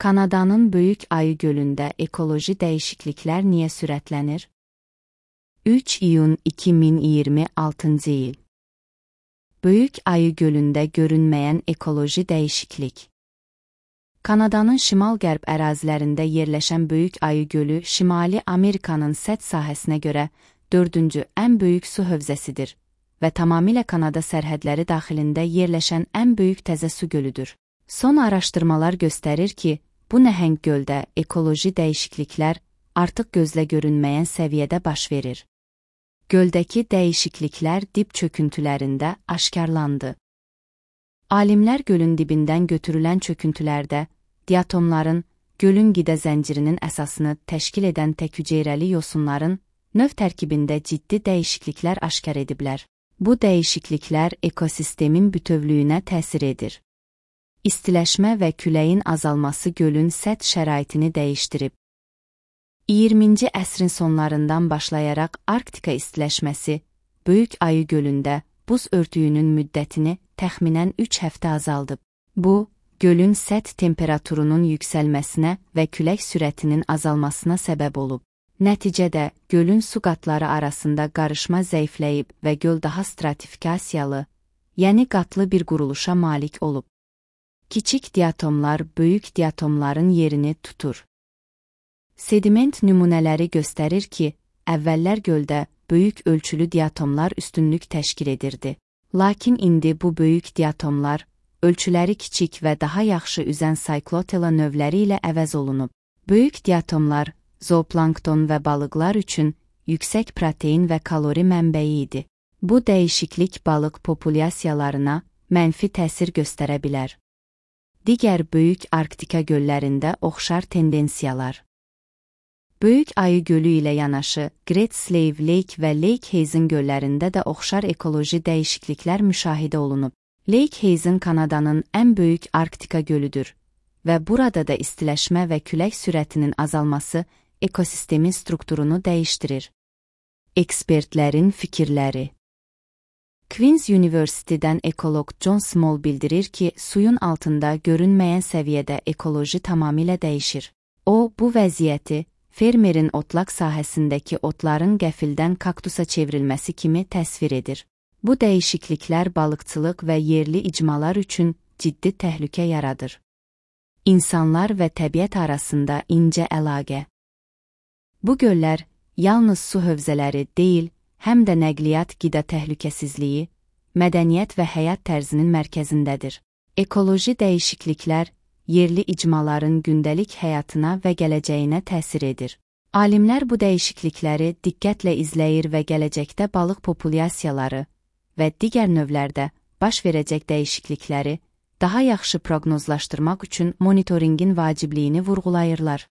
Kanadanın Böyük Ayı Gölündə ekoloji dəyişikliklər niyə sürətlənir? 3 iyun 2026 il. Böyük Ayı Gölündə görünməyən ekoloji dəyişiklik. Kanadanın şimal-qərb ərazilərində yerləşən Böyük Ayı Gölü Şimali Amerikanın səth sahəsinə görə 4-cü ən böyük su hövzəsidir və tamamilə Kanada sərhədləri daxilində yerləşən ən böyük təzə su gölüdür. Son araşdırmalar göstərir ki, bu nəhəng göldə ekoloji dəyişikliklər artıq gözlə görünməyən səviyyədə baş verir. Göldəki dəyişikliklər dib çöküntülərində aşkarlandı. Alimlər gölün dibindən götürülən çöküntülərdə diatomların, gölün qida zəncirinin əsasını təşkil edən tək-hüceyrəli yosunların növ tərkibində ciddi dəyişikliklər aşkar ediblər. Bu dəyişikliklər ekosistemin bütövlüyünə təsir edir. İstiləşmə və küləyin azalması gölün səth şəraitini dəyişdirib. 20-ci əsrin sonlarından başlayaraq Arktika istiləşməsi, Böyük Ayı Gölündə buz örtüyünün müddətini təxminən 3 həftə azaldıb. Bu, gölün səth temperaturunun yüksəlməsinə və külək sürətinin azalmasına səbəb olub. Nəticədə, gölün su qatları arasında qarışma zəifləyib və göl daha stratifikasiyalı, yəni qatlı bir quruluşa malik olub. Kiçik diatomlar böyük diatomların yerini tutur. Sediment nümunələri göstərir ki, əvvəllər göldə böyük ölçülü diatomlar üstünlük təşkil edirdi. Lakin indi bu böyük diatomlar, ölçüləri kiçik və daha yaxşı üzən Cyclotella növləri ilə əvəz olunub. Böyük diatomlar, zooplankton və balıqlar üçün yüksək protein və kalori mənbəyi idi. Bu dəyişiklik balıq populyasiyalarına mənfi təsir göstərə bilər. Digər böyük Arktika göllərində oxşar tendensiyalar. Böyük Ayı Gölü ilə yanaşı, Great Slave Lake və Lake Hazen göllərində də oxşar ekoloji dəyişikliklər müşahidə olunub. Lake Hazen Kanadanın ən böyük Arktika gölüdür və burada da istiləşmə və külək sürətinin azalması ekosistemin strukturunu dəyişdirir. Ekspertlərin fikirləri. Queen's University-dən ekoloq John Small bildirir ki, suyun altında görünməyən səviyyədə ekoloji tamamilə dəyişir. O, bu vəziyyəti fermerin otlaq sahəsindəki otların qəfildən kaktusa çevrilməsi kimi təsvir edir. Bu dəyişikliklər balıqçılıq və yerli icmalar üçün ciddi təhlükə yaradır. İnsanlar və təbiət arasında incə əlaqə. Bu göllər yalnız su hövzələri deyil, həm də nəqliyyat qida təhlükəsizliyi, mədəniyyət və həyat tərzinin mərkəzindədir. Ekoloji dəyişikliklər yerli icmaların gündəlik həyatına və gələcəyinə təsir edir. Alimlər bu dəyişiklikləri diqqətlə izləyir və gələcəkdə balıq populyasiyaları və digər növlərdə baş verəcək dəyişiklikləri daha yaxşı proqnozlaşdırmaq üçün monitorinqin vacibliyini vurğulayırlar.